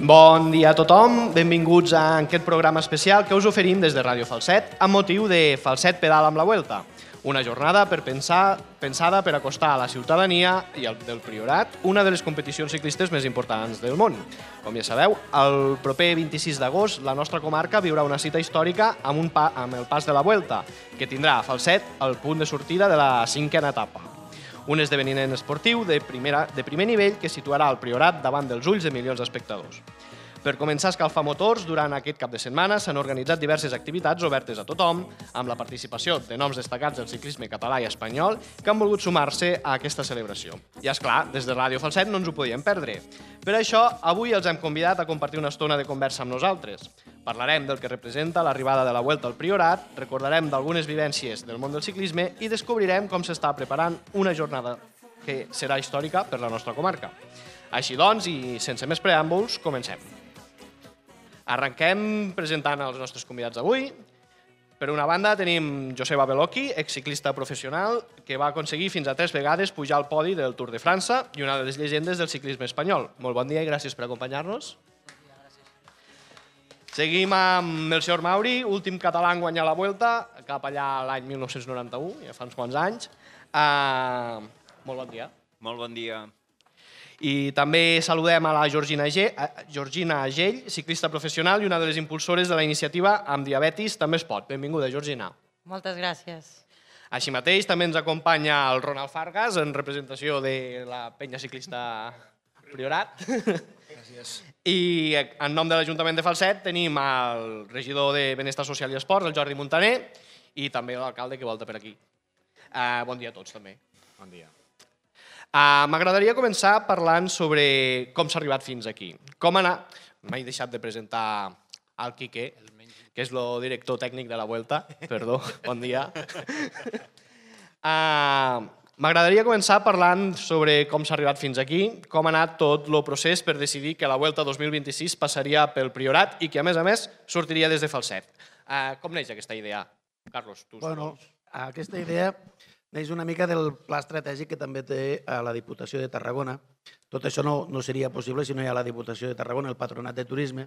Bon dia a tothom, benvinguts a aquest programa especial que us oferim des de Ràdio Falset amb motiu de Falset Pedal amb la Vuelta, una jornada pensada per acostar a la ciutadania i del Priorat una de les competicions ciclistes més importants del món. Com ja sabeu, el proper 26 d'agost la nostra comarca viurà una cita històrica amb el Pas de la Vuelta, que tindrà a Falset el punt de sortida de la 5a etapa. Un esdeveniment esportiu de primer nivell que situarà el Priorat davant dels ulls de milions d'espectadors. Per començar a escalfar motors, durant aquest cap de setmana s'han organitzat diverses activitats obertes a tothom, amb la participació de noms destacats del ciclisme català i espanyol que han volgut sumar-se a aquesta celebració. I és clar, des de Ràdio Falset no ens ho podíem perdre. Per això, avui els hem convidat a compartir una estona de conversa amb nosaltres. Parlarem del que representa l'arribada de la Vuelta al Priorat, recordarem d'algunes vivències del món del ciclisme i descobrirem com s'està preparant una jornada que serà històrica per la nostra comarca. Així doncs, i sense més preàmbuls, comencem. Arrenquem presentant els nostres convidats d'avui. Per una banda tenim Joseba Belocchi, exciclista professional, que va aconseguir fins a 3 vegades pujar al podi del Tour de França i una de les llegendes del ciclisme espanyol. Molt bon dia i gràcies per acompanyar-nos. Seguim amb Melcior Mauri, últim català en guanyar la Vuelta, cap allà l'any 1991, ja fa uns quants anys. Molt bon dia. Molt bon dia. I també saludem a la Georgina Agell, ciclista professional i una de les impulsores de la iniciativa Amb diabetis també es pot. Benvinguda, Georgina. Moltes gràcies. Així mateix també ens acompanya el Ronald Fargas en representació de la penya ciclista Priorat. Gràcies. I en nom de l'Ajuntament de Falset tenim el regidor de Benestar Social i Esports, el Jordi Montaner, i també l'alcalde que volta per aquí. Bon dia a tots, també. Bon dia. M'agradaria començar parlant sobre com s'ha arribat fins aquí. Com anar... M'he deixat de presentar el Quique, que és el director tècnic de la Vuelta. Perdó, bon dia. M'agradaria començar parlant sobre com s'ha arribat fins aquí, com ha anat tot el procés per decidir que la Vuelta 2026 passaria pel Priorat i que, a més, sortiria des de Falset. Com neix aquesta idea? Carlos, tu. Bueno, aquesta idea neix una mica del pla estratègic que també té la Diputació de Tarragona. Tot això no seria possible si no hi ha la Diputació de Tarragona, el Patronat de Turisme,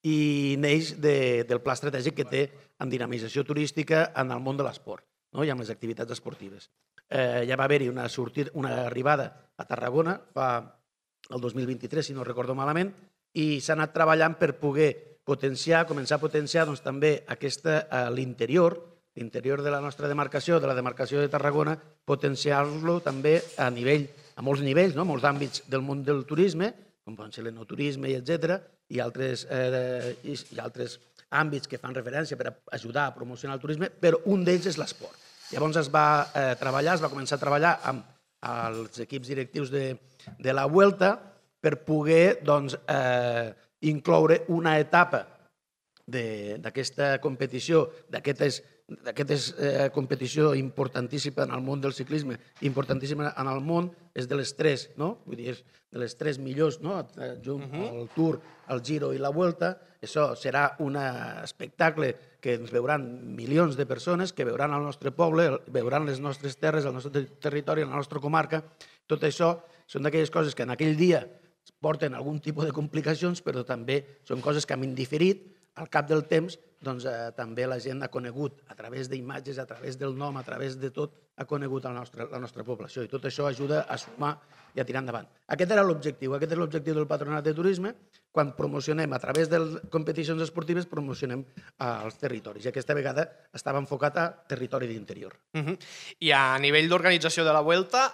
i neix del pla estratègic que té en dinamització turística en el món de l'esport, i amb les activitats esportives. Ja va haver-hi una arribada a Tarragona el 2023, si no recordo malament, i s'ha anat treballant per poder començar a potenciar també l'interior de la nostra demarcació, de la demarcació de Tarragona, potenciar-lo també a molts nivells, molts àmbits del món del turisme, com poden ser l'enoturisme, etc., i altres àmbits que fan referència per ajudar a promocionar el turisme, però un d'ells és l'esport. Llavors es va començar a treballar amb els equips directius de la Vuelta per poder incloure una etapa d'aquesta competició, d'aquesta competició importantíssima en el món del ciclisme, importantíssima en el món, és de les tres, vull dir, és de les tres millors, junt el Tour, el Giro i la Vuelta. Això serà un espectacle que ens veuran milions de persones, que veuran el nostre poble, veuran les nostres terres, el nostre territori, la nostra comarca. Tot això són d'aquelles coses que en aquell dia porten algun tipus de complicacions, però també són coses que hem indiferit. Al cap del temps, també la gent ha conegut, a través d'imatges, a través del nom, a través de tot, ha conegut la nostra població. I tot això ajuda a sumar i a tirar endavant. Aquest era l'objectiu. Aquest és l'objectiu del Patronat de Turisme. Quan promocionem, a través de competicions esportives, promocionem els territoris. I aquesta vegada estava enfocat a territori d'interior. I a nivell d'organització de la Vuelta,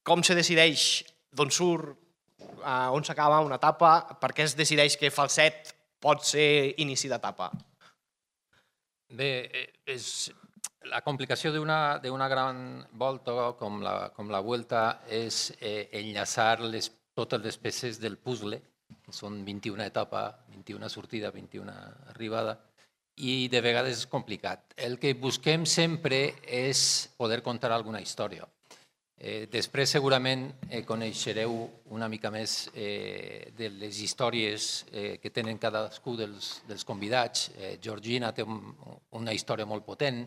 com se decideix d'on surt, on s'acaba una etapa, per què es decideix que Falset pot ser inici d'etapa? Bé, la complicació d'una gran volta com la Vuelta és enllaçar totes les peces del puzzle, que són 21 etapes, 21 sortida, 21 arribada, i de vegades és complicat. El que busquem sempre és poder contar alguna història. Després segurament coneixereu una mica més de les històries que tenen cadascú dels convidats. Georgina té una història molt potent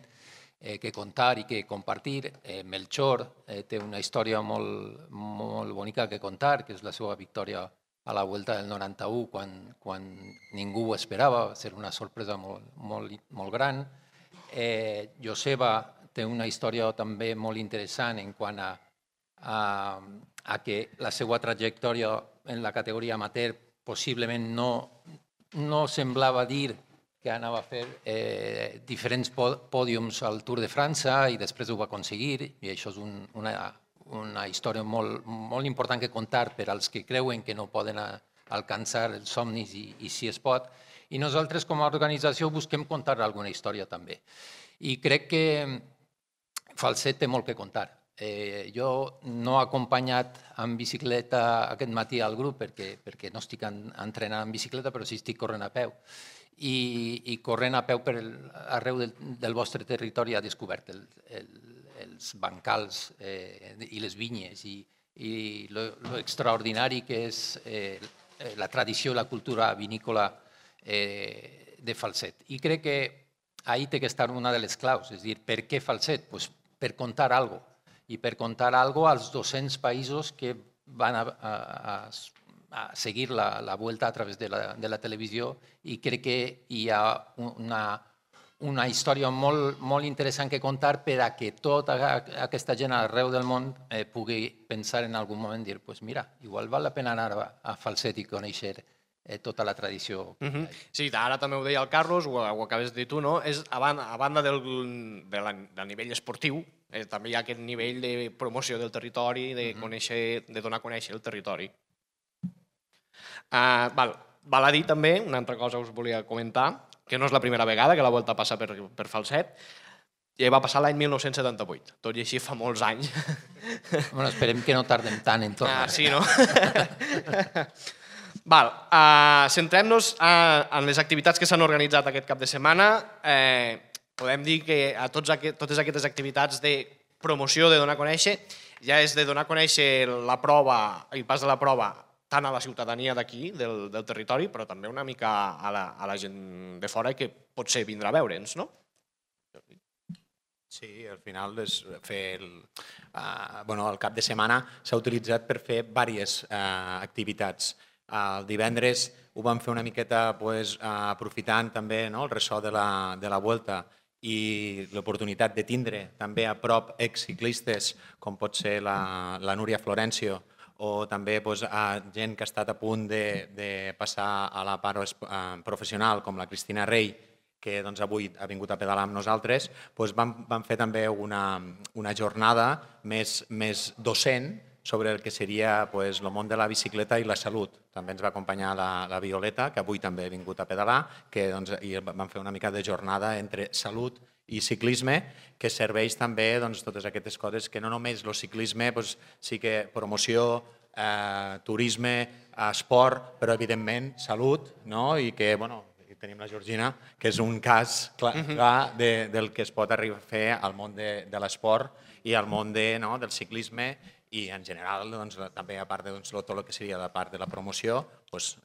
que contar i que compartir. Melcior té una història molt bonica que contar, que és la seva victòria a la Vuelta del 91, quan ningú ho esperava, va ser una sorpresa molt gran. Joseba té una història també molt interessant en quant a que la seva trajectòria en la categoria amateur possiblement no semblava dir que anava a fer diferents pòdiums al Tour de França i després ho va aconseguir, i això és una història molt important que contar per als que creuen que no poden alcançar els somnis i si es pot. I nosaltres com a organització busquem contar alguna història també. I crec que Falset té molt que contar. Jo no he acompanyat en bicicleta aquest matí al grup perquè no estic entrenant en bicicleta, però sí estic corrent a peu. I corrent a peu arreu del vostre territori ha descobert els bancals i les vinyes i l'extraordinari que és la tradició i la cultura vinícola de Falset. I crec que ahí té que estar una de les claus, és a dir, per què Falset? Pues per contar alguna cosa, i per contar alguna cosa als 200 països que van a seguir la Vuelta a través de la televisió, i crec que hi ha una història molt interessant que contar per a que tota aquesta gent arreu del món pugui pensar en algun moment, dir, pues mira, igual val la pena anar a Falset i conèixer tota la tradició. Sí, ara també ho deia el Carlos, ho acabes de dir tu, no? A banda del nivell esportiu, també hi ha aquest nivell de promoció del territori, de donar a conèixer el territori. Val a dir també, una altra cosa us volia comentar, que no és la primera vegada que la Volta passa per Falset, ja va passar l'any 1978, tot i així fa molts anys. Bueno, esperem que no tardem tant en tornar. Sí, no? Centrem-nos en les activitats que s'han organitzat aquest cap de setmana. Podem dir que a totes aquestes activitats de promoció, de donar a conèixer, ja és de donar a conèixer la prova, el pas de la prova, tant a la ciutadania d'aquí, del territori, però també una mica a la gent de fora que potser vindrà a veure'ns, no? Sí, al final el cap de setmana s'ha utilitzat per fer diverses activitats. El divendres ho vam fer una miqueta aprofitant també el ressò de la Vuelta i l'oportunitat de tindre també a prop exciclistes com pot ser la Núria Florencio o també gent que ha estat a punt de passar a la part professional com la Cristina Rey, que avui ha vingut a pedalar amb nosaltres. Vam fer també una jornada més docent sobre el que seria el món de la bicicleta i la salut. També ens va acompanyar la Violeta, que avui també ha vingut a pedalar, i vam fer una mica de jornada entre salut i ciclisme, que serveix també totes aquestes coses que no només el ciclisme, sí que promoció, turisme, esport, però evidentment salut, i que tenim la Georgina, que és un cas clar del que es pot arribar a fer al món de l'esport i al món del ciclisme i en general també a part de tot el que seria la part de la promoció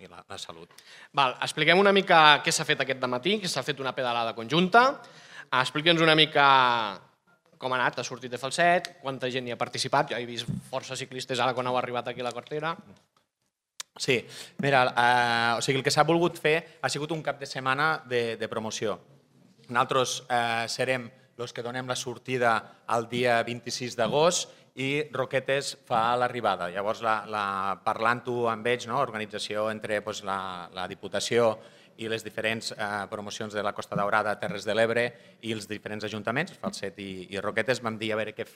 i la salut. Expliquem una mica què s'ha fet aquest dematí, que s'ha fet una pedalada conjunta. Explica'ns una mica com ha anat, ha sortit de Falset, quanta gent hi ha participat. Jo he vist força ciclistes ara quan heu arribat aquí a la Cortera. Sí, mira, el que s'ha volgut fer ha sigut un cap de setmana de promoció. Nosaltres serem els que donem la sortida el dia 26 d'agost i Roquetes fa l'arribada. Llavors, parlant-ho amb ells, organització entre la Diputació i les diferents promocions de la Costa Daurada, Terres de l'Ebre i els diferents ajuntaments, Falset i Roquetes, vam dir a veure què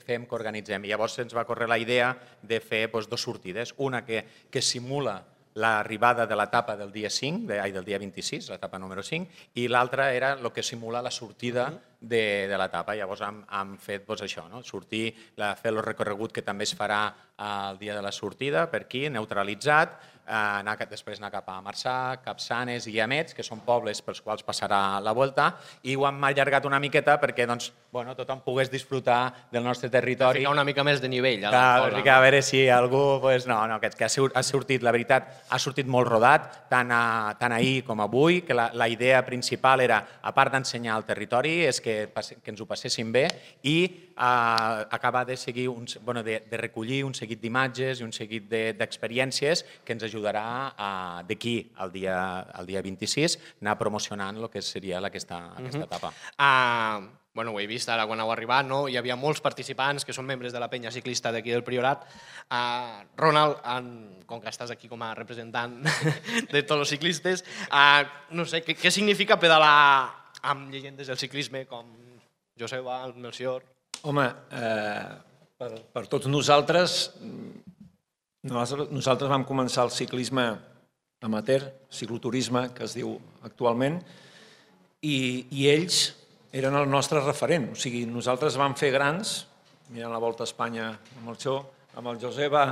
fem, què organitzem. I llavors ens va córrer la idea de fer dues sortides, una que simula l'arribada de l'etapa del dia 26, l'etapa número 5, i l'altra era el que simula la sortida de l'etapa. Llavors hem fet això, sortir, fer el recorregut que també es farà el dia de la sortida per aquí, neutralitzat, després anar cap a Marçà, Capçanes i Llamets, que són pobles pels quals passarà la Volta, i ho hem allargat una miqueta perquè tothom pogués disfrutar del nostre territori. Ficar una mica més de nivell. A veure si algú... que ha sortit, la veritat, ha sortit molt rodat, tant ahir com avui, que la idea principal era, a part d'ensenyar el territori, és que que ens ho passéssim bé i acabar de seguir de recollir un seguit d'imatges i un seguit d'experiències que ens ajudarà d'aquí al dia 26 anar promocionant el que seria aquesta etapa. Bueno, ho he vist ara quan heu arribat, no? Hi havia molts participants que són membres de la penya ciclista d'aquí del Priorat. Ronald, com que estàs aquí com a representant de tots els ciclistes, no sé, què significa pedalar amb llegendes del ciclisme com Joseba, el Melcior? Home, per tots nosaltres vam començar el ciclisme amateur, cicloturisme, que es diu actualment, i ells eren el nostre referent. O sigui, nosaltres vam fer grans, mirant la Volta a Espanya amb el Xó, amb el Joseba,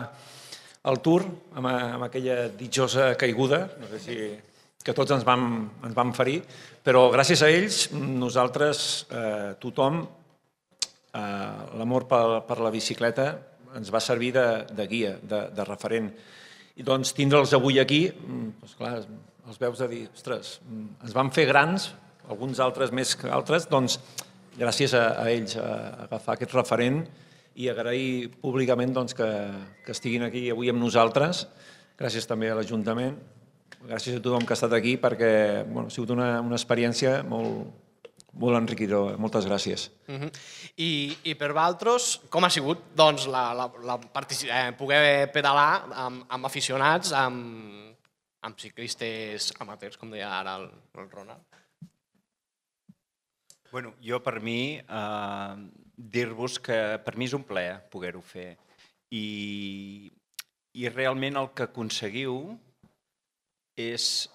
al Tour, amb aquella ditjosa caiguda, no sé si que tots ens vam ferir, però gràcies a ells, nosaltres, tothom, l'amor per la bicicleta ens va servir de guia, de referent. I doncs tindre'ls avui aquí, clar, els veus de dir, ostres, ens van fer grans, alguns altres més que altres, doncs gràcies a ells a agafar aquest referent i agrair públicament que estiguin aquí avui amb nosaltres. Gràcies també a l'Ajuntament, gràcies a tothom que ha estat aquí perquè ha sigut una experiència molt enriquidora. Moltes gràcies. I per vosaltres, com ha sigut poder pedalar amb aficionats, amb ciclistes amateurs, com deia ara el Ronald? Bueno, jo per mi, dir-vos que per mi és un plaer poder-ho fer i realment el que aconseguiu és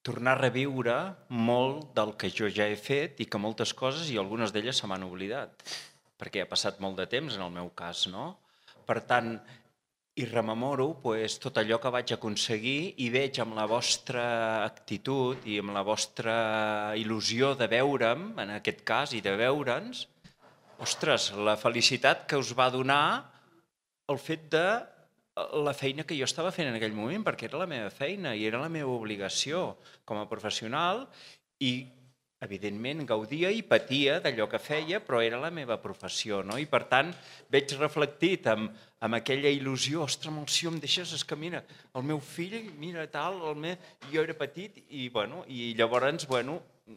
tornar a reviure molt del que jo ja he fet i que moltes coses i algunes d'elles se m'han oblidat, perquè ha passat molt de temps en el meu cas, no? Per tant, i rememoro tot allò que vaig aconseguir i veig amb la vostra actitud i amb la vostra il·lusió de veure'm, en aquest cas, i de veure'ns, ostres, la felicitat que us va donar el fet de la feina que jo estava fent en aquell moment, perquè era la meva feina i era la meva obligació com a professional i, evidentment, gaudia i patia d'allò que feia, però era la meva professió, no? I, per tant, veig reflectit amb aquella il·lusió, ostres, si em deixes, és que mira, el meu fill, mira, tal, jo era petit i llavors,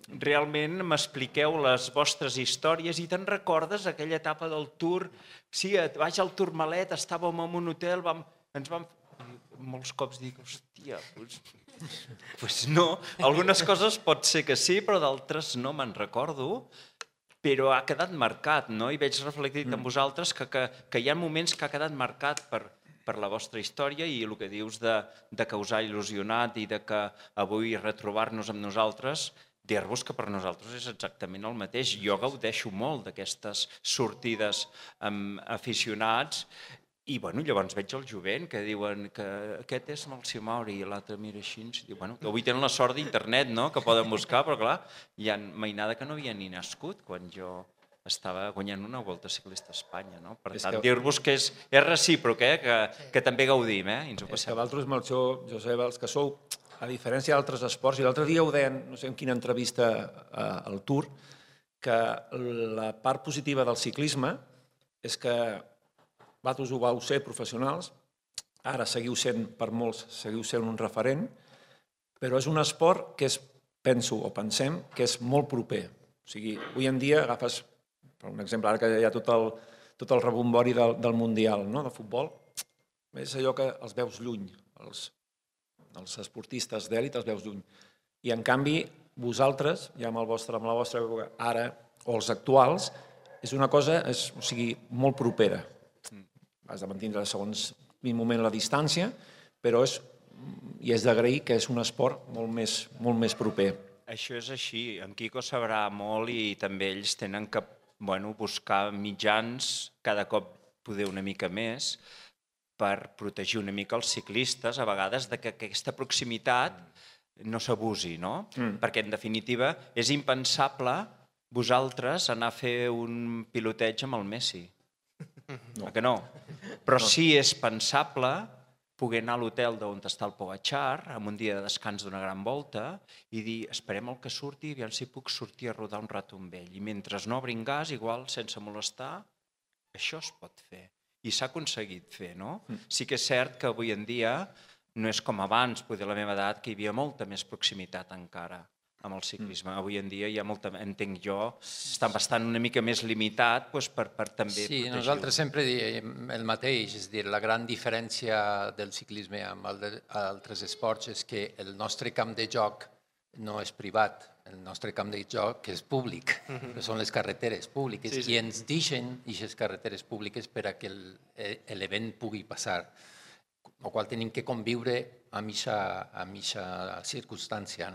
realment m'expliqueu les vostres històries i te'n recordes aquella etapa del Tour? Sí, vaig al Tourmalet, estàvem en un hotel, ens vam... Molts cops dic, hòstia, doncs no. Algunes coses pot ser que sí, però d'altres no me'n recordo, però ha quedat marcat, no? I veig reflectit en vosaltres que hi ha moments que ha quedat marcat per la vostra història i el que dius de que us ha il·lusionat i de que avui retrobar-nos amb nosaltres, dir-vos que per nosaltres és exactament el mateix. Jo gaudeixo molt d'aquestes sortides amb aficionats i llavors veig el jovent que diuen que aquest és Melcior Mauri i l'altre mira així i diu, que avui tenen la sort d'internet, no?, que poden buscar, però clar, hi ha mainada que no havia ni nascut quan jo estava guanyant una Volta Ciclista a Espanya, no? Per tant, dir-vos que és recíproc, que també gaudim, i ens ho passem. És que vosaltres, Melcior, Josep, els que sou, a diferència d'altres esports, i l'altre dia ho deien, no sé en quina entrevista al Tour, que la part positiva del ciclisme és que vosaltres ho vau ser professionals, ara seguiu sent, per molts, seguiu sent un referent, però és un esport que pensem que és molt proper. O sigui, avui en dia agafes, per un exemple, ara que hi ha tot el rebombori del Mundial de futbol, és allò que els veus lluny, els esportistes d'èlit els veus lluny. I en canvi, vosaltres, ja amb la vostra època, ara, o els actuals, és una cosa molt propera. Has de mantenir segons quin moment la distància, però és d'agrair que és un esport molt més proper. Això és així. En Quico sabrà molt i també ells tenen que buscar mitjans, cada cop poder una mica més, per protegir una mica els ciclistes, a vegades, que aquesta proximitat no s'abusi, no? Perquè, en definitiva, és impensable vosaltres anar a fer un piloteig amb el Messi. Que no? Però sí és pensable poder anar a l'hotel d'on està el Pogachar, amb un dia de descans d'una gran volta, i dir, esperem el que surti, aviam si puc sortir a rodar un rato amb ell. I mentre no obrin gas, igual, sense molestar, això es pot fer. I s'ha aconseguit fer, no? Sí que és cert que avui en dia no és com abans, poder a la meva edat, que hi havia molta més proximitat encara amb el ciclisme. Avui en dia hi ha molta, entenc jo, està bastant una mica més limitat per també Sí, protegir-ho. nosaltres sempre diem el mateix, és a dir, la gran diferència del ciclisme amb altres esports és que el nostre camp de joc no és privat, el nostre camp de joc és públic, que són les carreteres públiques, i ens deixen aquestes carreteres públiques per a que l'event pugui passar, amb la qual tenim que conviure amb aquesta circumstància.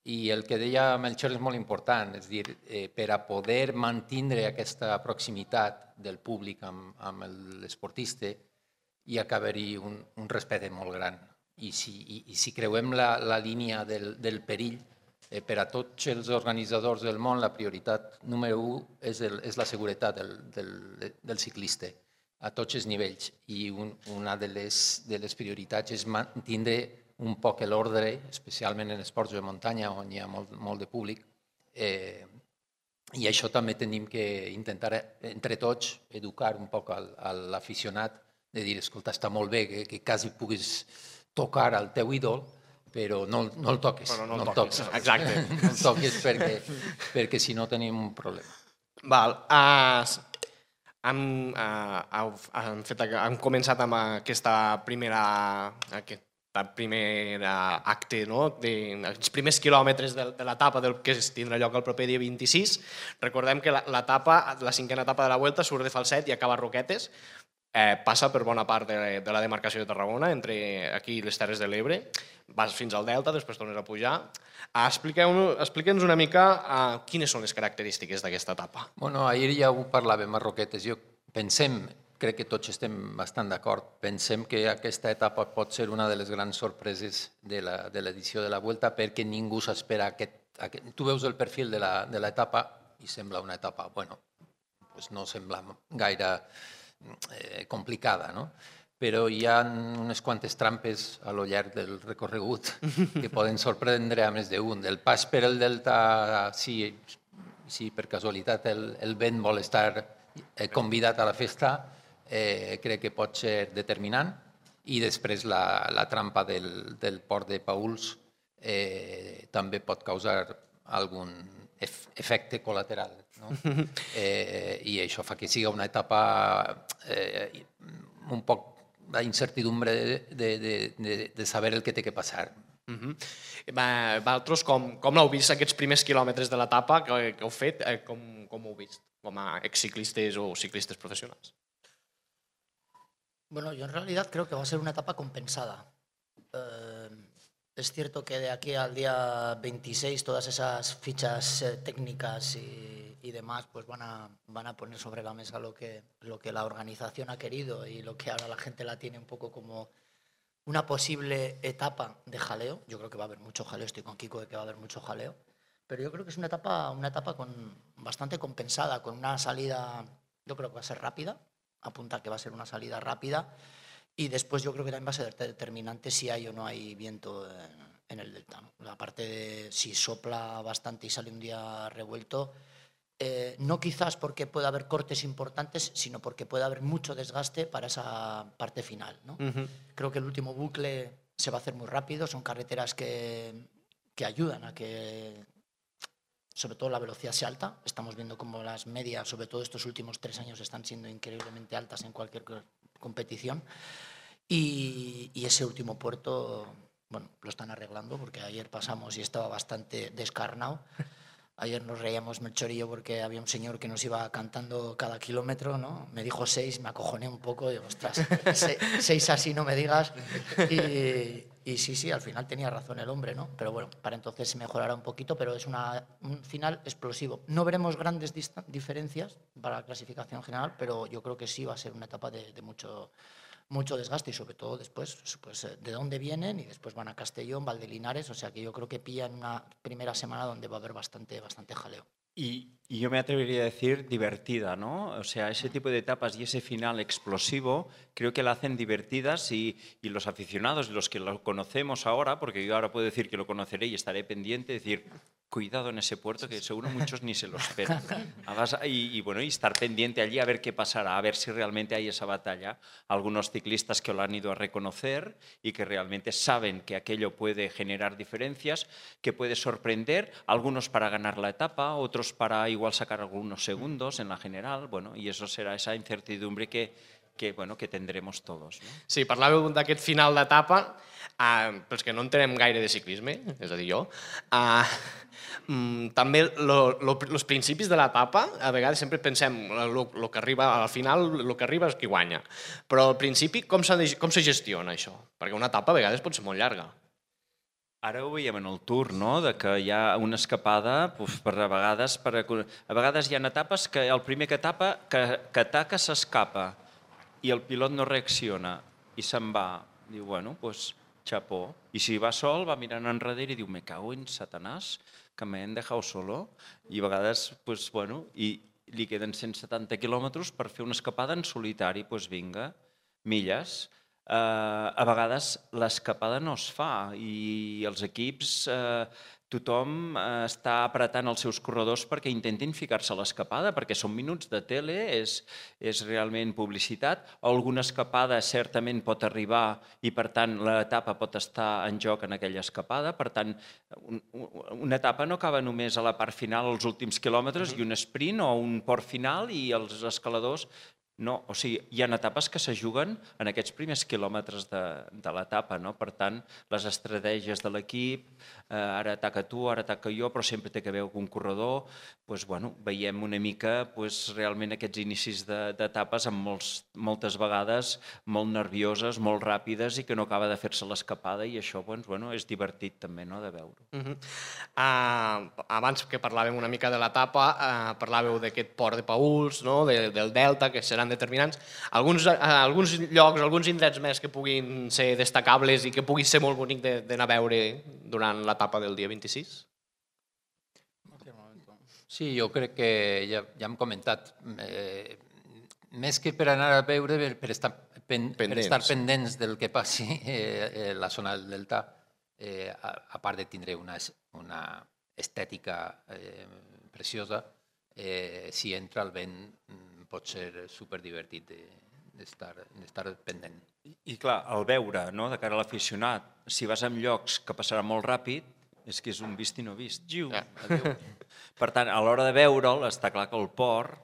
I el que deia Melchor és molt important, és a dir, per a poder mantenir aquesta proximitat del públic amb l'esportista hi ha d'haver-hi un respecte molt gran. I si creuem la línia del perill, per a tots els organitzadors del món la prioritat número 1 és la seguretat del ciclista a tots els nivells. I una de les prioritats és mantenir un poc l'ordre, especialment en esports de muntanya on hi ha molt de públic, i això també tenim que intentar entre tots educar un poc a l'aficionat de dir, escolta, està molt bé que quasi puguis tocar el teu ídol, però no el toques. Però no el toques, exacte. No el toques perquè si no tenim un problema. Val. Hem començat amb aquesta primera acte, els primers quilòmetres de l'etapa que tindrà lloc el proper dia 26. Recordem que la cinquena etapa de la Vuelta surt de Falset i acaba a Roquetes, passa per bona part de la demarcació de Tarragona, entre aquí i les Terres de l'Ebre, vas fins al Delta, després tornes a pujar. Explique'ns una mica quines són les característiques d'aquesta etapa. Bueno, ahir ja ho parlàvem a Roquetes. Crec que tots estem bastant d'acord. Pensem que aquesta etapa pot ser una de les grans sorpreses de l'edició de la Vuelta perquè ningú s'espera Tu veus el perfil de l'etapa i sembla una etapa, no sembla gaire complicada, no? Però hi ha unes quantes trampes a lo llarg del recorregut que poden sorprendre a més d'un. El pas per el Delta, si per casualitat el vent vol estar convidat a la festa, crec que pot ser determinant, i després la trampa del port de Pauls també pot causar algun efecte col·lateral. I això fa que sigui una etapa un poc d'incertidumbre de saber el que té que passar. Vosaltres, com l'heu vist aquests primers quilòmetres de l'etapa que heu fet? Com ho heu vist com a exciclistes o ciclistes professionals? Bueno, yo en realidad creo que va a ser una etapa compensada. Es cierto que de aquí al día 26 todas esas fichas técnicas y demás pues van a poner sobre la mesa lo que la organización ha querido y lo que ahora la gente la tiene un poco como una posible etapa de jaleo. Yo creo que va a haber mucho jaleo, estoy con Kiko de que va a haber mucho jaleo, pero yo creo que es una etapa bastante compensada, con una salida, yo creo que va a ser rápida, apunta que va a ser una salida rápida, y después yo creo que también va a ser determinante si hay o no hay viento en el delta, ¿no? La parte de si sopla bastante y sale un día revuelto, no quizás porque pueda haber cortes importantes, sino porque puede haber mucho desgaste para esa parte final, ¿no? Creo que el último bucle se va a hacer muy rápido, son carreteras que ayudan a que sobre todo la velocidad sea alta. Estamos viendo como las medias, sobre todo estos últimos 3 años, están siendo increíblemente altas en cualquier competición. Y ese último puerto, bueno, lo están arreglando porque ayer pasamos y estaba bastante descarnado. Ayer nos reíamos Melchor y yo porque había un señor que nos iba cantando cada kilómetro, ¿no? Me dijo 6, me acojoné un poco, digo, ostras, 6 así no me digas. Y sí, al final tenía razón el hombre, ¿no? Pero bueno, para entonces se mejorará un poquito, pero es un final explosivo. No veremos grandes diferencias para la clasificación general, pero yo creo que sí va a ser una etapa de mucho desgaste y sobre todo después pues, de dónde vienen y después van a Castellón, Valdelinares, o sea que yo creo que pillan una primera semana donde va a haber bastante jaleo. Y yo me atrevería a decir divertida, ¿no? O sea, ese tipo de etapas y ese final explosivo creo que la hacen divertidas y los aficionados, los que lo conocemos ahora, porque yo ahora puedo decir que lo conoceré y estaré pendiente, decir, cuidado en ese puerto que seguro muchos ni se lo esperan. Bueno, y estar pendiente allí a ver qué pasará, a ver si realmente hay esa batalla. Algunos ciclistas que lo han ido a reconocer y que realmente saben que aquello puede generar diferencias, que puede sorprender, algunos para ganar la etapa, otros para igual sacar algunos segundos en la general, bueno, y eso será esa incertidumbre que tendremos todos. No? Sí, parlàveu d'aquest final d'etapa, pels que no entenem gaire de ciclisme, és a dir, jo, també els principis de l'etapa, a vegades sempre pensem el que arriba al final, el que arriba és qui guanya. Però al principi, com se gestiona això? Perquè una etapa a vegades pot ser molt llarga. Ara ho veiem en el Tour, no? De que hi ha una escapada, a vegades hi ha etapes que el primer que ataca s'escapa i el pilot no reacciona i se'n va. Diu, bueno, doncs xapó. I si va sol, va mirant enrere i diu, me cago en Satanàs, que me han dejado solo. I a vegades, doncs, bueno, i li queden 170 quilòmetres per fer una escapada en solitari, doncs vinga, milles. A vegades l'escapada no es fa i els equips, tothom està apretant els seus corredors perquè intentin ficar-se a l'escapada, perquè són minuts de tele, és realment publicitat. Alguna escapada certament pot arribar i, per tant, l'etapa pot estar en joc en aquella escapada. Per tant, una etapa no acaba només a la part final, als últims quilòmetres, i un sprint o un port final i els escaladors. No, o sigui, hi ha etapes que se juguen en aquests primers quilòmetres de l'etapa, no? Per tant, les estratègies de l'equip, ara ataca tu, ara ataca jo, però sempre té que veure un corredor, doncs, bueno, veiem una mica realment aquests inicis d'etapes amb moltes vegades molt nervioses, molt ràpides i que no acaba de fer-se l'escapada i això doncs, bueno, és divertit també, no?, de veure. Abans que parlàvem una mica de l'etapa, parlàveu d'aquest port de Paüls, no?, del Delta, que seran determinants. Alguns llocs, alguns indrets més que puguin ser destacables i que pugui ser molt bonic d'anar a veure durant l'etapa del dia 26? Sí, jo crec que ja hem comentat, més que per anar a veure, per estar pendents del que passi a la zona del Delta, a part de tindre una estètica preciosa, si entra el vent pot ser superdivertit d'estar pendent. I clar, el veure, de cara a l'aficionat, si vas en llocs que passarà molt ràpid, és que és un vist i no vist. Adéu. Per tant, a l'hora de veure'l, està clar que el port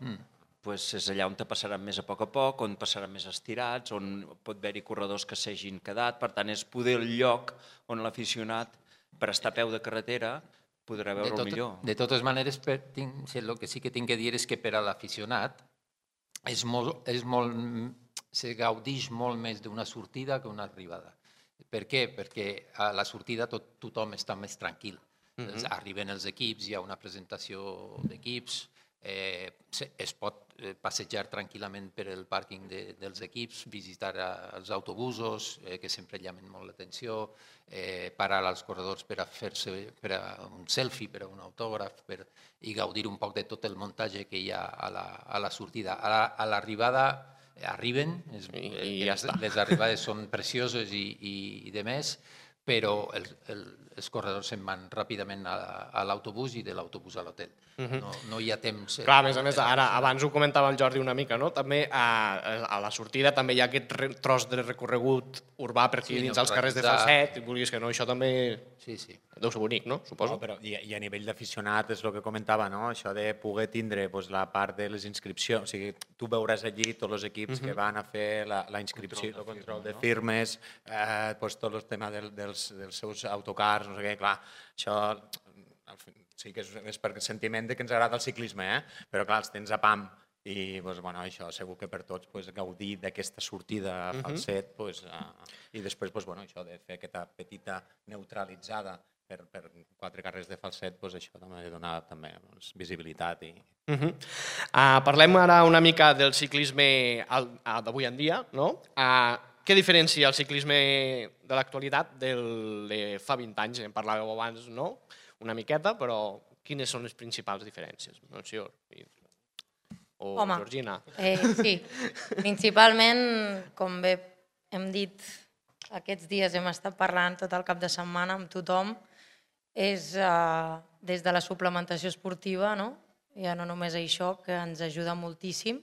és allà on te passaran més a poc, on passaran més estirats, on pot haver-hi corredors que s'hagin quedat. Per tant, és poder el lloc on l'aficionat, per estar a peu de carretera, podrà veure el millor. De totes maneres, el que sí que tinc que dir és que per a l'aficionat se gaudeix molt més d'una sortida que una arribada. Per què? Perquè a la sortida tothom està més tranquil. Arriben els equips, hi ha una presentació d'equips, es pot passejar tranquil·lament per el pàrquing dels equips, visitar els autobusos, que sempre llamen molt l'atenció, parar als corredors per a fer-se un selfie, per a un autògraf, i gaudir un poc de tot el muntatge que hi ha a la sortida. A l'arribada arriben, les arribades són precioses i de més, però els corredors se'n van ràpidament a l'autobús i de l'autobús a l'hotel. No hi ha temps... Clar, a més, abans ho comentava el Jordi una mica, no? També a la sortida també hi ha aquest tros de recorregut urbà per aquí dins els carrers de Falset, i vulguis que no, això també deu ser bonic, no? Suposo. I a nivell d'aficionat és el que comentava, no? Això de poder tindre la part de les inscripcions, o sigui, tu veuràs allí tots els equips que van a fer la inscripció, el control de firmes, tot el tema dels seus autocars, no sé què, clar, això sí que és per sentiment que ens agrada el ciclisme, però clar, els tens a pam i això segur que per tots gaudir d'aquesta sortida a Falset i després això de fer aquesta petita neutralitzada per 4 carrers de Falset, això també dona visibilitat. Parlem ara una mica del ciclisme d'avui en dia, no? Què diferencia el ciclisme de l'actualitat del de fa 20 anys? En parlàveu abans, no? Una miqueta, però quines són les principals diferències, Melcior o Home, Georgina? Sí, principalment, com bé hem dit, aquests dies hem estat parlant tot el cap de setmana amb tothom, és des de la suplementació esportiva, no? Ja no només això, que ens ajuda moltíssim,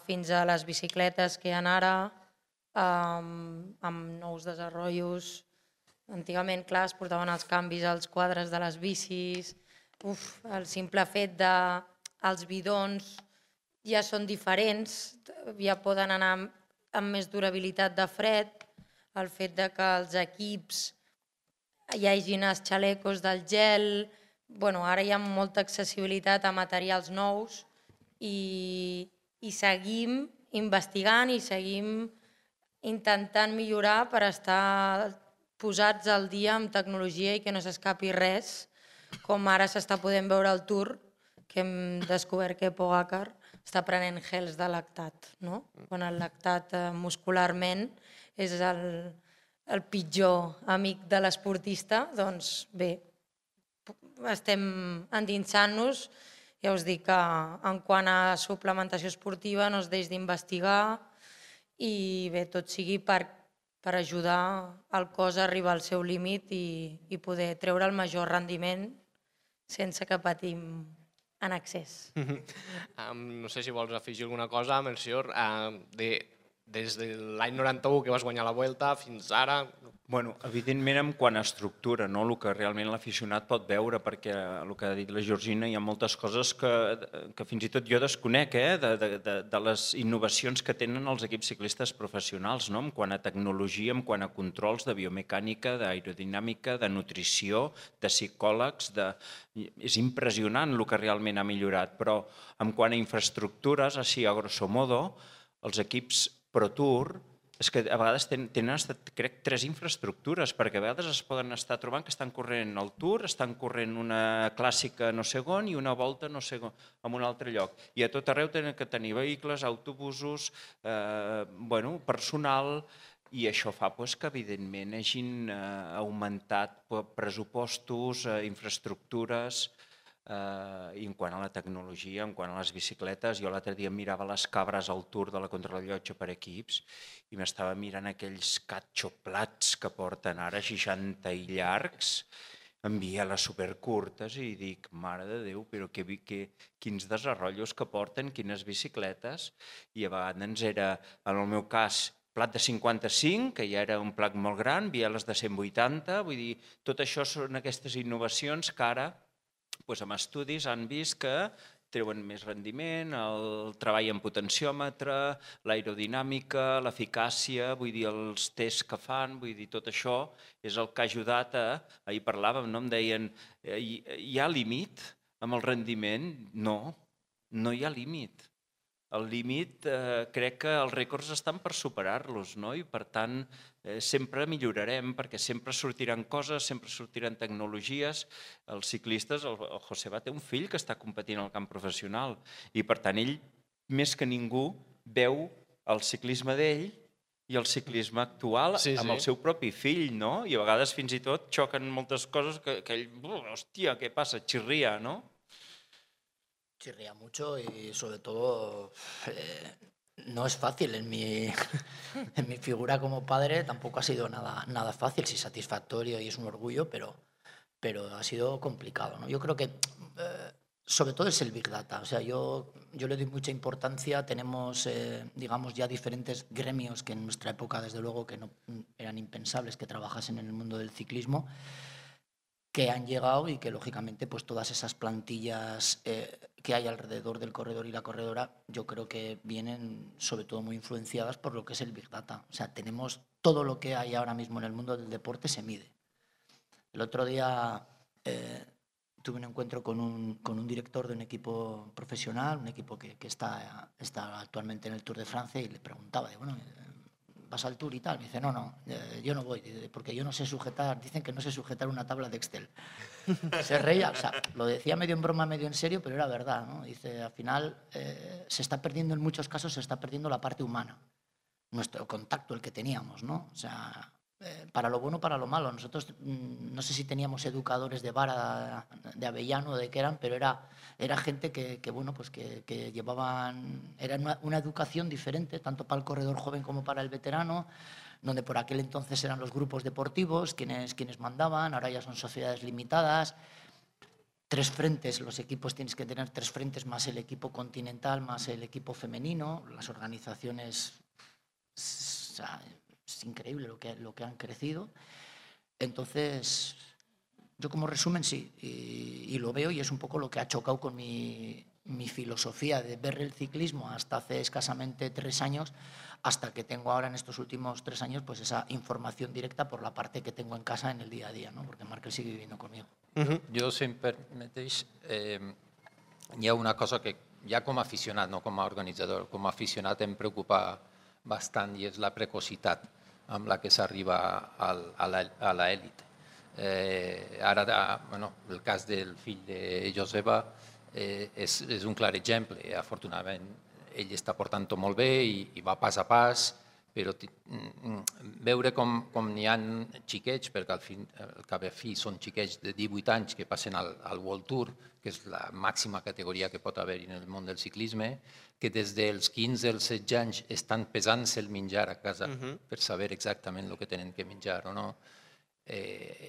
fins a les bicicletes que hi ha ara, amb nous desenvolupaments. Antigament, clar, es portaven els canvis als quadres de les bicis, el simple fet de els bidons ja són diferents, ja poden anar amb més durabilitat de fred, el fet de que els equips hi hagin els xalecos del gel, ara hi ha molta accessibilitat a materials nous i seguim investigant i seguim intentant millorar per estar posats al dia amb tecnologia i que no s'escapi res, com ara s'està podent veure al Tour, que hem descobert que Pogacar està prenent gels de lactat, no? Quan el lactat muscularment és el pitjor amic de l'esportista, doncs bé, estem endinsant-nos. Ja us dic que en quant a suplementació esportiva no es deix d'investigar i bé, tot sigui per ajudar el cos a arribar al seu límit i poder treure el major rendiment sense que patim en excés. No sé si vols afegir alguna cosa, Melcior, des de l'any 91 que vas guanyar la Vuelta fins ara. Bueno, evidentment, en quant a estructura, no? El que realment l'aficionat pot veure, perquè el que ha dit la Georgina, hi ha moltes coses que fins i tot jo desconec, de les innovacions que tenen els equips ciclistes professionals, no? En quant a tecnologia, en quant a controls de biomecànica, d'aerodinàmica, de nutrició, de psicòlegs. És impressionant el que realment ha millorat, però en quant a infraestructures, així a grosso modo, els equips Pro Tour és que a vegades tenen, crec, 3 infraestructures, perquè a vegades es poden estar trobant que estan corrent el Tour, estan corrent una clàssica no sé on i una volta no sé on, en un altre lloc. I a tot arreu tenen que tenir vehicles, autobusos, personal, i això fa que, evidentment, hagin augmentat pressupostos, infraestructures. I en quant a la tecnologia, en quant a les bicicletes, jo l'altre dia mirava les cabres al Tour de la contrarellotge per equips i m'estava mirant aquells catxoplats que porten ara 60 i llargs, amb bieles supercurtes, i dic, mare de Déu, però quins desenrotllos que porten, quines bicicletes, i a vegades era, en el meu cas, plat de 55, que ja era un plat molt gran, bieles de 180, vull dir, tot això són aquestes innovacions que ara amb estudis han vist que treuen més rendiment, el treball en potenciòmetre, l'aerodinàmica, l'eficàcia, vull dir, els tests que fan, vull dir, tot això és el que ha ajudat a... Ahir parlàvem, no? Em deien, hi ha límit amb el rendiment? No, no hi ha límit. El límit, crec que els rècords estan per superar-los, no? I per tant sempre millorarem, perquè sempre sortiran coses, sempre sortiran tecnologies. Els ciclistes, el Joseba té un fill que està competint al camp professional i per tant ell, més que ningú, veu el ciclisme d'ell i el ciclisme actual amb el seu propi fill, no? I a vegades fins i tot xoquen moltes coses que ell, hòstia, què passa? Xirria, no? Chirría mucho y sobre todo no es fácil en mi figura como padre, tampoco ha sido nada fácil, sí satisfactorio y es un orgullo, pero ha sido complicado, ¿no? Yo creo que sobre todo es el Big Data, o sea, yo le doy mucha importancia, tenemos digamos ya diferentes gremios que en nuestra época desde luego que no eran impensables que trabajasen en el mundo del ciclismo, que han llegado y que lógicamente pues todas esas plantillas que hay alrededor del corredor y la corredora yo creo que vienen sobre todo muy influenciadas por lo que es el Big Data. O sea, tenemos todo lo que hay ahora mismo en el mundo del deporte se mide. El otro día tuve un encuentro con un director de un equipo profesional, un equipo que está actualmente en el Tour de Francia y le preguntaba, bueno, ¿vas al Tour y tal? Me dice, no, yo no voy, porque yo no sé sujetar, dicen que no sé sujetar una tabla de Excel. Se reía, o sea, lo decía medio en broma, medio en serio, pero era verdad, ¿no? Dice, al final se está perdiendo, en muchos casos se está perdiendo la parte humana, nuestro contacto, el que teníamos, ¿no? O sea, para lo bueno, para lo malo. Nosotros, no sé si teníamos educadores de vara, de Avellano, de qué eran, pero era gente que llevaban, era una educación diferente, tanto para el corredor joven como para el veterano, donde por aquel entonces eran los grupos deportivos quienes mandaban, ahora ya son sociedades limitadas. 3 frentes, los equipos tienes que tener 3 frentes, más el equipo continental, más el equipo femenino, las organizaciones, es increíble lo que han crecido. Entonces, yo como resumen sí, y lo veo, y es un poco lo que ha chocado con mi filosofía de ver el ciclismo hasta hace escasamente 3 años, hasta que tengo ahora en estos últimos 3 años pues esa información directa por la parte que tengo en casa en el día a día, ¿no? Porque Markel sigue viviendo conmigo. Jo, si em permeteix, hi ha una cosa que ja com a aficionat, no com a organitzador, com a aficionat em preocupa bastant i és la precocitat amb la que s'arriba a l'elit. Ara, el cas del fill de Joseba és un clar exemple. Afortunadament, ell està portant-ho molt bé i va pas a pas, però veure com n'hi ha xiquets, perquè al cap i a fi són xiquets de 18 anys que passen al World Tour, que és la màxima categoria que pot haver-hi en el món del ciclisme, que des dels 15 als 16 anys estan pesant-se el menjar a casa per saber exactament el que tenen que menjar o no.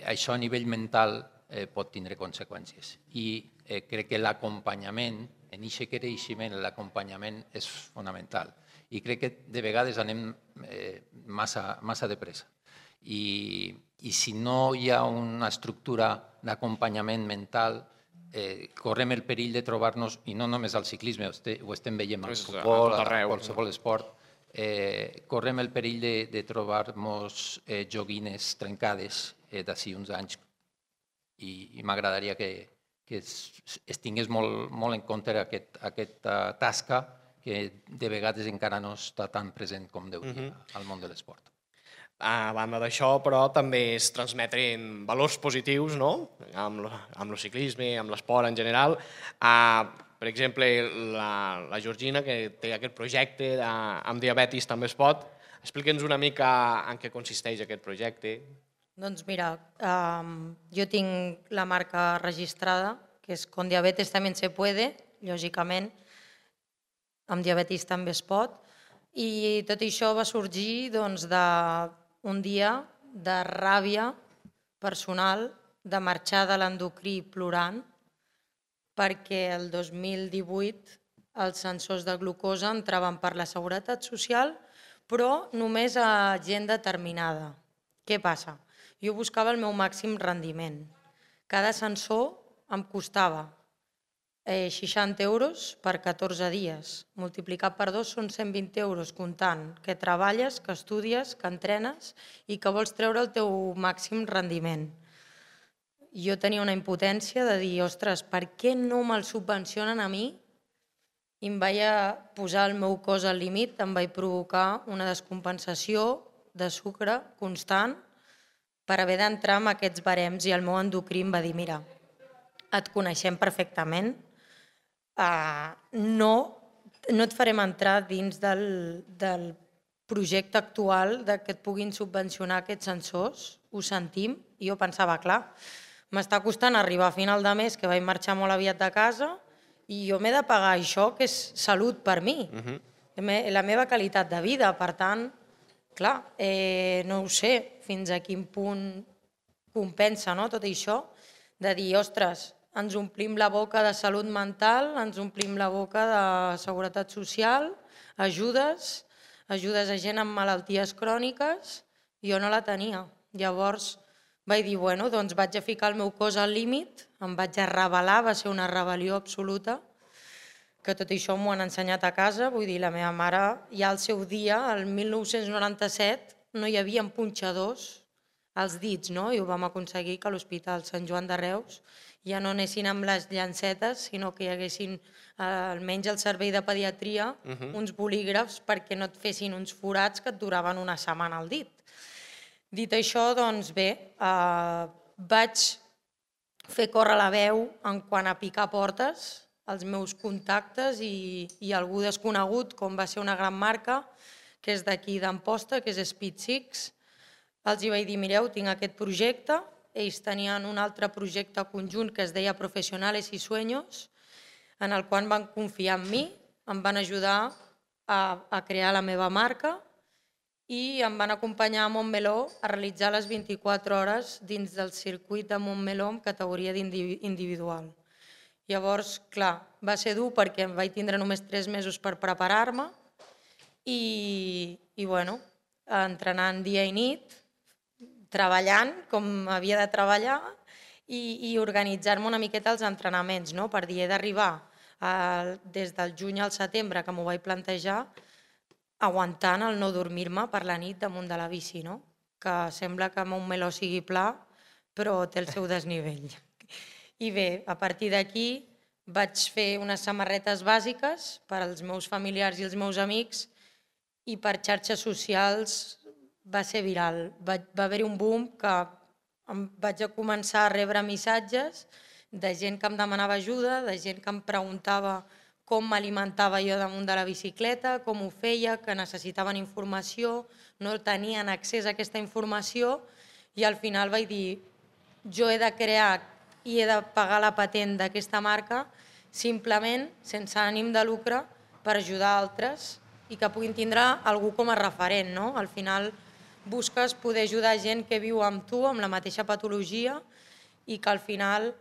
Això a nivell mental pot tindre conseqüències. I crec que l'acompanyament, en aquest creixement, l'acompanyament és fonamental. I crec que de vegades anem massa de pressa. I si no hi ha una estructura d'acompanyament mental, correm el perill de trobar-nos, i no només al ciclisme, ho estem veient al futbol, a qualsevol esport, correm el perill de trobar-nos joguines trencades d'ací uns anys. I m'agradaria que es tingués molt en compte aquesta tasca que de vegades encara no està tan present com deuria al món de l'esport. A banda d'això, però, també es transmeten valors positius, no?, amb el ciclisme, amb l'esport en general. Per exemple, la Georgina, que té aquest projecte amb diabetis també es pot. Explica'ns una mica en què consisteix aquest projecte. Doncs mira, jo tinc la marca registrada, que és Con diabetes también se puede, lògicament, amb diabetis també es pot, i tot això va sorgir d'un dia de ràbia personal, de marxar de l'endocrí plorant, perquè el 2018 els sensors de glucosa entraven per la Seguretat Social, però només a gent determinada. Què passa? Jo buscava el meu màxim rendiment. Cada sensor em costava 60 euros per 14 dies. Multiplicat per 2 són 120 euros, comptant que treballes, que estudies, que entrenes i que vols treure el teu màxim rendiment. Jo tenia una impotència de dir, ostres, per què no me'l subvencionen a mi? I em vaig posar el meu cos al límit, em vaig provocar una descompensació de sucre constant per haver d'entrar en aquests barems, i el meu endocrí em va dir, mira, et coneixem perfectament, no et farem entrar dins del projecte actual que et puguin subvencionar aquests sensors, ho sentim, i jo pensava, clar, m'està costant arribar a final de mes, que vaig marxar molt aviat de casa, i jo m'he de pagar això, que és salut per mi, la meva qualitat de vida. Per tant, clar, no ho sé fins a quin punt compensa tot això, de dir, ostres, ens omplim la boca de salut mental, ens omplim la boca de seguretat social, ajudes a gent amb malalties cròniques, jo no la tenia. Llavors vaig dir, bueno, doncs vaig a ficar el meu cos al límit, em vaig a rebel·lar, va ser una rebel·lió absoluta, que tot això m'ho han ensenyat a casa, vull dir, la meva mare ja al seu dia, el 1997, no hi havia punxadors als dits, no? I ho vam aconseguir que a l'Hospital Sant Joan de Reus ja no anessin amb les llancetes, sinó que hi haguessin, almenys al servei de pediatria, uns bolígrafs perquè no et fessin uns forats que et duraven una setmana al dit. Dit això, doncs bé, vaig fer córrer la veu en quant a picar portes, els meus contactes i algú desconegut, com va ser una gran marca, que és d'aquí d'Amposta, que és Speed 6, els hi vaig dir, mireu, tinc aquest projecte, ells tenien un altre projecte conjunt que es deia Profesionales y Sueños, en el qual van confiar en mi, em van ajudar a crear la meva marca i em van acompanyar a Montmeló a realitzar les 24 hores dins del circuit de Montmeló en categoria individual. Llavors, clar, va ser dur perquè em vaig tindre només 3 mesos per preparar-me i bueno, entrenant dia i nit, treballant com havia de treballar i organitzar-me una miqueta els entrenaments, per dir, he d'arribar des del juny al setembre, que m'ho vaig plantejar, aguantant el no dormir-me per la nit damunt de la bici, que sembla que Montmeló sigui pla, però té el seu desnivell. I bé, a partir d'aquí vaig fer unes samarretes bàsiques per als meus familiars i els meus amics i per xarxes socials va ser viral. Va haver-hi un boom que vaig començar a rebre missatges de gent que em demanava ajuda, de gent que em preguntava com m'alimentava jo damunt de la bicicleta, com ho feia, que necessitaven informació, no tenien accés a aquesta informació i al final vaig dir, jo he de crear i he de pagar la patent d'aquesta marca simplement sense ànim de lucre per ajudar altres i que puguin tindre algú com a referent. Al final busques poder ajudar gent que viu amb tu, amb la mateixa patologia i que al final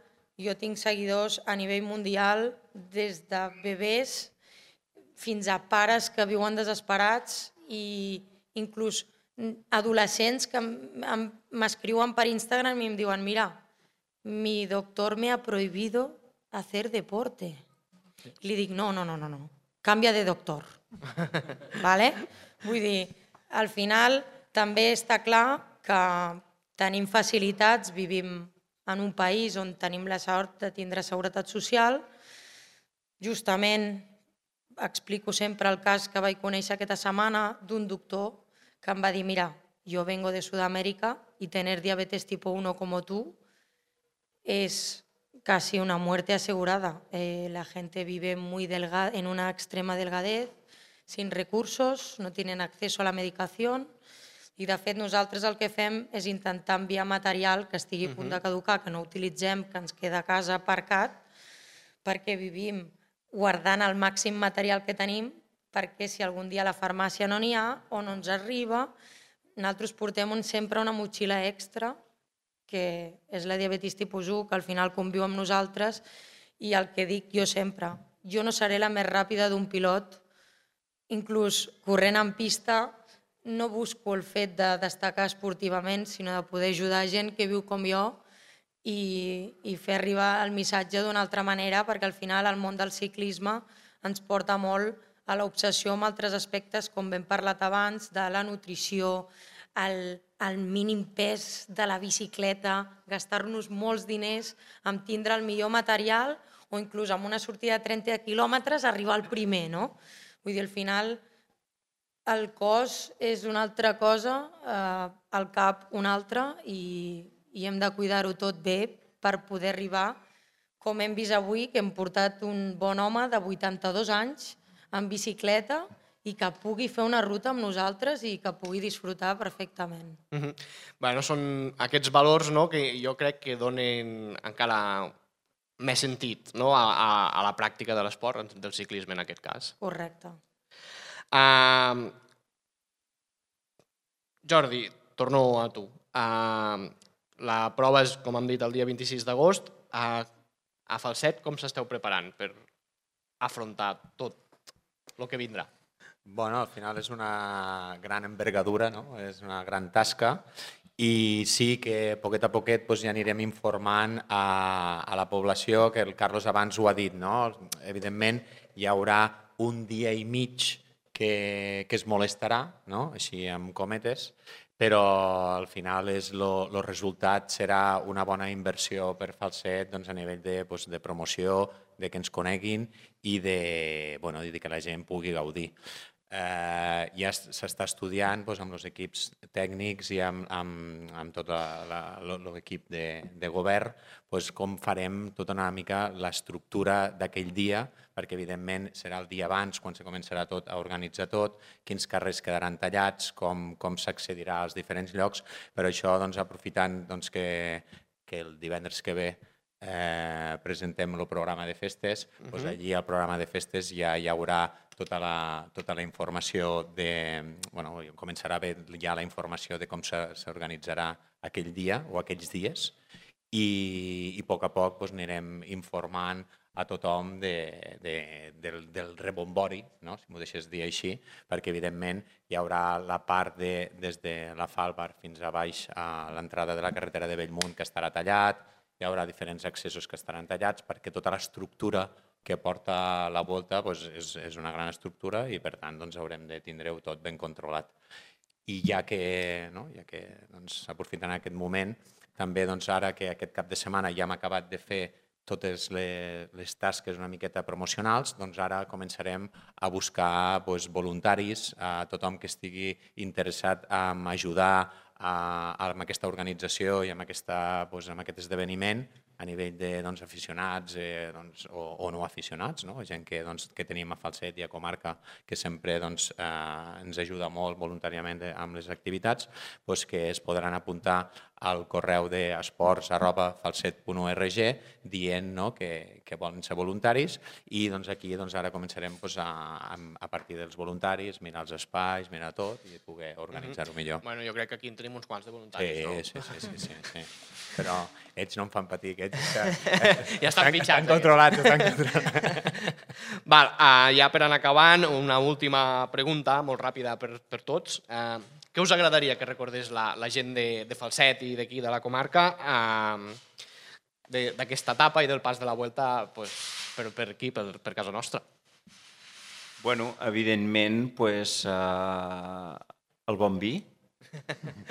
jo tinc seguidors a nivell mundial des de bebès fins a pares que viuen desesperats i inclús adolescents que m'escriuen per Instagram i em diuen mira, mi doctor me ha prohibido hacer deporte. I li dic no, canvia de doctor. Vull dir, al final també està clar que tenim facilitats, vivim en un país on tenim la sort de tindre seguretat social. Justament explico sempre el cas que vaig conèixer aquesta setmana d'un doctor que em va dir mira, yo vengo de Sudamérica y tener diabetes tipo 1 como tú es casi una muerte asegurada. La gente vive en una extrema delgadez, sin recursos, no tienen acceso a la medicación i de fet nosaltres el que fem és intentar enviar material que estigui a punt de caducar, que no utilitzem, que ens queda a casa aparcat, perquè vivim guardant el màxim material que tenim perquè si algun dia a la farmàcia no n'hi ha o no ens arriba, nosaltres portem sempre una motxilla extra que és la diabetis tipus 1, que al final conviu amb nosaltres i el que dic jo sempre, jo no seré la més ràpida d'un pilot, inclús corrent en pista no busco el fet de destacar esportivament, sinó de poder ajudar gent que viu com jo i fer arribar el missatge d'una altra manera, perquè al final el món del ciclisme ens porta molt a l'obsessió amb altres aspectes, com hem parlat abans, de la nutrició, el mínim pes de la bicicleta, gastar-nos molts diners en tindre el millor material o inclús amb una sortida de 30 quilòmetres arribar al primer. Vull dir, al final el cos és una altra cosa, el cap una altra i hem de cuidar-ho tot bé per poder arribar, com hem vist avui, que hem portat un bon home de 82 anys en bicicleta i que pugui fer una ruta amb nosaltres i que pugui disfrutar perfectament. Són aquests valors que jo crec que donen encara més sentit a la pràctica de l'esport, del ciclisme en aquest cas. Correcte. Jordi, torno a tu. La prova és, com hem dit, el dia 26 d'agost. A Falset, com s'esteu preparant per afrontar tot el que vindrà? Al final és una gran envergadura, és una gran tasca i sí que poquet a poquet ja anirem informant a la població, que el Carlos abans ho ha dit. Evidentment hi haurà un dia i mig que es molestarà, així amb cometes, però al final el resultat serà una bona inversió per Falset a nivell de promoció, de que ens coneguin i de que la gent pugui gaudir. ja s'està estudiant amb els equips tècnics i amb tot l'equip de govern com farem tota una mica l'estructura d'aquell dia, perquè evidentment serà el dia abans quan se començarà tot a organitzar tot, quins carrers quedaran tallats, com s'accedirà als diferents llocs. Per això, aprofitant que el divendres que ve presentem el programa de festes, allí al programa de festes ja hi haurà tota la informació començarà a haver ja la informació de com s'organitzarà aquell dia o aquells dies i a poc anirem informant a tothom del rebombori, si m'ho deixes dir així, perquè evidentment hi haurà la part des de la Falbar fins a baix a l'entrada de la carretera de Bellmunt que estarà tallat, hi haurà diferents accessos que estaran tallats perquè tota l'estructura que porta la volta és una gran estructura i per tant haurem de tindre-ho tot ben controlat. I ja que aprofitant aquest moment, també ara que aquest cap de setmana ja hem acabat de fer totes les tasques una miqueta promocionals, ara començarem a buscar voluntaris, a tothom que estigui interessat en ajudar amb aquesta organització i amb aquest esdeveniment a nivell d'aficionats o no aficionats, gent que tenim a Falset i a comarca que sempre ens ajuda molt voluntàriament amb les activitats, que es podran apuntar al correu d'esports@falset.org dient que volen ser voluntaris i aquí ara començarem a partir dels voluntaris, mirar els espais, mirar tot i poder organitzar-ho millor. Bueno, jo crec que aquí en tenim uns quants de voluntaris, no? Sí. Però ells no em fan patir, que ells ja estan pitjats. Estan controlats. Ja per anar acabant, una última pregunta, molt ràpida per tots. Què us agradaria que recordés la gent de Falset i d'aquí, de la comarca, d'aquesta etapa i del pas de la Vuelta per aquí, per casa nostra? Bueno, evidentment, el bon vi,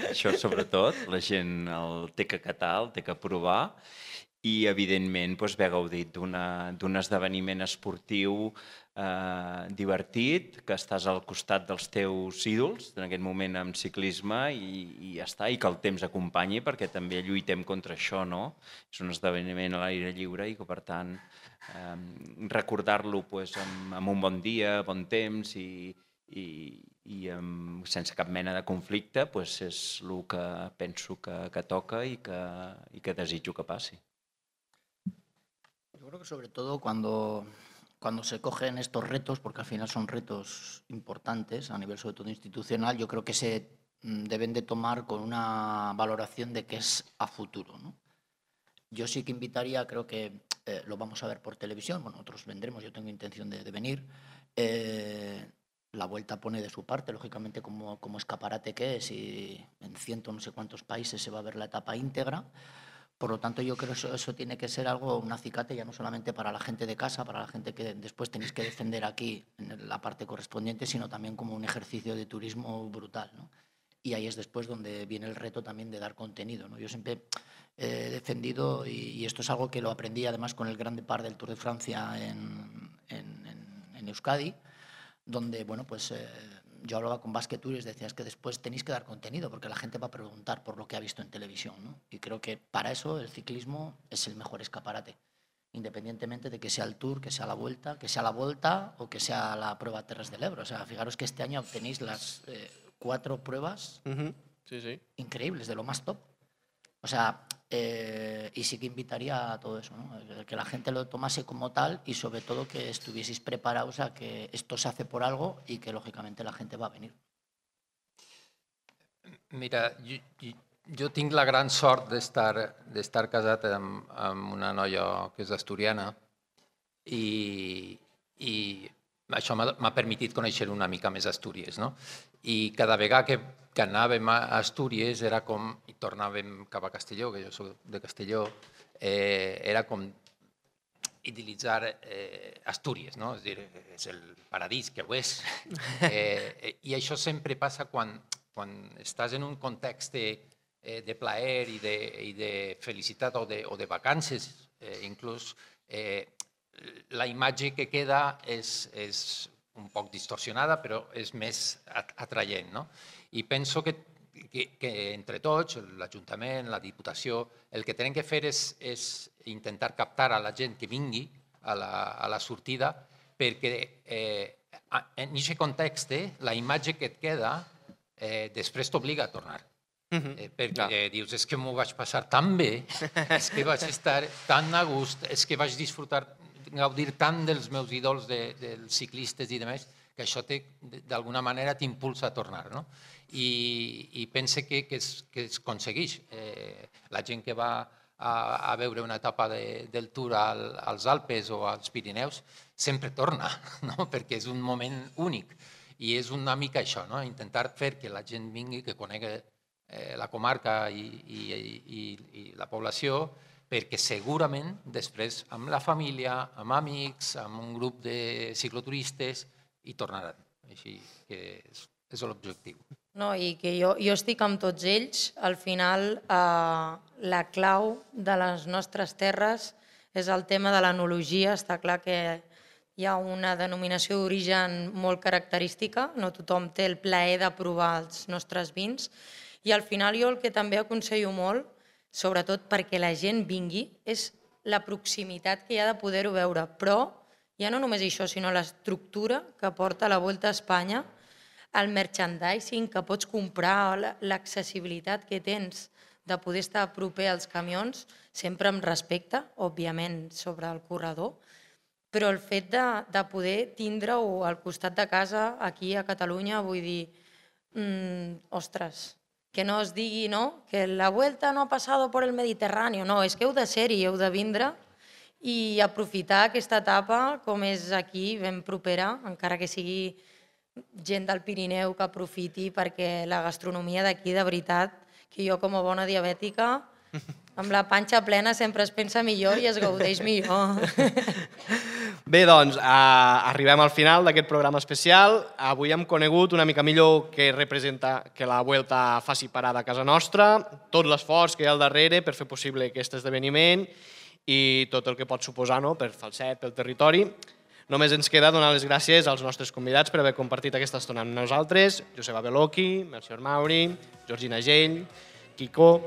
això sobretot, la gent el té que catar, el té que provar i, evidentment, haver gaudit d'un esdeveniment esportiu divertit, que estàs al costat dels teus ídols, en aquest moment amb ciclisme, i ja està, i que el temps acompanyi, perquè també lluitem contra això, no? És un esdeveniment a l'aire lliure i que, per tant, recordar-lo amb un bon dia, bon temps i sense cap mena de conflicte és el que penso que toca i que desitjo que passi. Yo creo que sobre todo cuando se cogen estos retos, porque al final son retos importantes a nivel sobre todo institucional, yo creo que se deben de tomar con una valoración de qué es a futuro, ¿no? Yo sí que invitaría, creo que lo vamos a ver por televisión, bueno, nosotros vendremos, yo tengo intención de venir. La Vuelta pone de su parte, lógicamente, como escaparate que es, y en no sé cuántos países se va a ver la etapa íntegra. Por lo tanto, yo creo que eso tiene que ser algo, un acicate ya no solamente para la gente de casa, para la gente que después tenéis que defender aquí en la parte correspondiente, sino también como un ejercicio de turismo brutal, ¿no? Y ahí es después donde viene el reto también de dar contenido, ¿no? Yo siempre he defendido, y esto es algo que lo aprendí además con el Grand Depart del Tour de Francia en Euskadi, donde, bueno, yo hablaba con Basque Tour y les decía, es que después tenéis que dar contenido porque la gente va a preguntar por lo que ha visto en televisión, ¿no? Y creo que para eso el ciclismo es el mejor escaparate, independientemente de que sea el Tour, que sea la Vuelta o que sea la prueba Terres del Ebro. O sea, fijaros que este año tenéis las 4 pruebas increíbles, de lo más top. O sea, y sí que invitaría a todo eso, ¿no? Que la gente lo tomase como tal y sobre todo que estuvieseis preparados a que esto se hace por algo y que lógicamente la gente va a venir. Mira, jo tinc la gran sort d'estar casat amb una noia que és asturiana i això m'ha permitit conèixer una mica més Astúries, no? I cada vegada que anàvem a Astúries era com, i tornàvem cap a Castelló, que jo soc de Castelló, era com idilitzar Astúries, no? És a dir, és el paradís, que ho és. I això sempre passa quan estàs en un context de plaer i de felicitat o de vacances, inclús la imatge que queda és un poc distorsionada, però és més atraient. No? I penso que entre tots, l'Ajuntament, la Diputació, el que tenen que fer és intentar captar a la gent que vingui a la sortida, perquè en aquest context la imatge que et queda després t'obliga a tornar. Perquè dius, és que m'ho vaig passar tan bé, és que vaig estar tan a gust, és que vaig gaudir tant dels meus ídols, dels ciclistes i demés, que això d'alguna manera t'impulsa a tornar. I pense que es aconsegueix. La gent que va a veure una etapa del Tour als Alpes o als Pirineus sempre torna, perquè és un moment únic. I és una mica això, intentar fer que la gent vingui, que conegui la comarca i la població, perquè segurament després amb la família, amb amics, amb un grup de cicloturistes hi tornaran. Així que és l'objectiu. No, i que jo estic amb tots ells. Al final, la clau de les nostres terres és el tema de l'enologia. Està clar que hi ha una denominació d'origen molt característica, no tothom té el plaer de provar els nostres vins, i al final jo el que també aconsello molt, sobretot perquè la gent vingui, és la proximitat que hi ha de poder-ho veure, però ja no només això, sinó l'estructura que porta la Vuelta a Espanya, el merchandising que pots comprar, l'accessibilitat que tens de poder estar proper als camions, sempre amb respecte, òbviament, sobre el corredor, però el fet de poder tindre-ho al costat de casa, aquí a Catalunya, vull dir, ostres, que no es digui que la Vuelta no ha passat per el Mediterrani, no, és que heu de ser-hi, heu de vindre i aprofitar aquesta etapa com és aquí, ben propera, encara que sigui gent del Pirineu que aprofiti, perquè la gastronomia d'aquí, de veritat, que jo com a bona diabètica, amb la panxa plena sempre es pensa millor i es gaudeix millor. Bé, doncs, arribem al final d'aquest programa especial. Avui hem conegut una mica millor què representa que la Vuelta faci parada a casa nostra, tot l'esforç que hi ha al darrere per fer possible aquest esdeveniment i tot el que pot suposar per Falset, pel territori. Només ens queda donar les gràcies als nostres convidats per haver compartit aquesta estona amb nosaltres, Joseba Beloki, Melcior Mauri, Georgina Gell, Quico,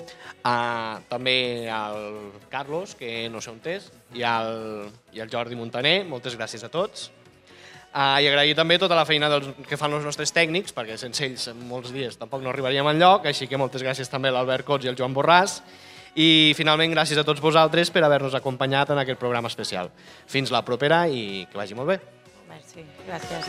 també al Carlos, que no sé on és, i al Jordi Montaner. Moltes gràcies a tots. I agrair també tota la feina que fan els nostres tècnics, perquè sense ells en molts dies tampoc no arribaríem enlloc, així que moltes gràcies també a l'Albert Cots i al Joan Borràs. I finalment gràcies a tots vosaltres per haver-nos acompanyat en aquest programa especial. Fins la propera i que vagi molt bé. Merci, gràcies.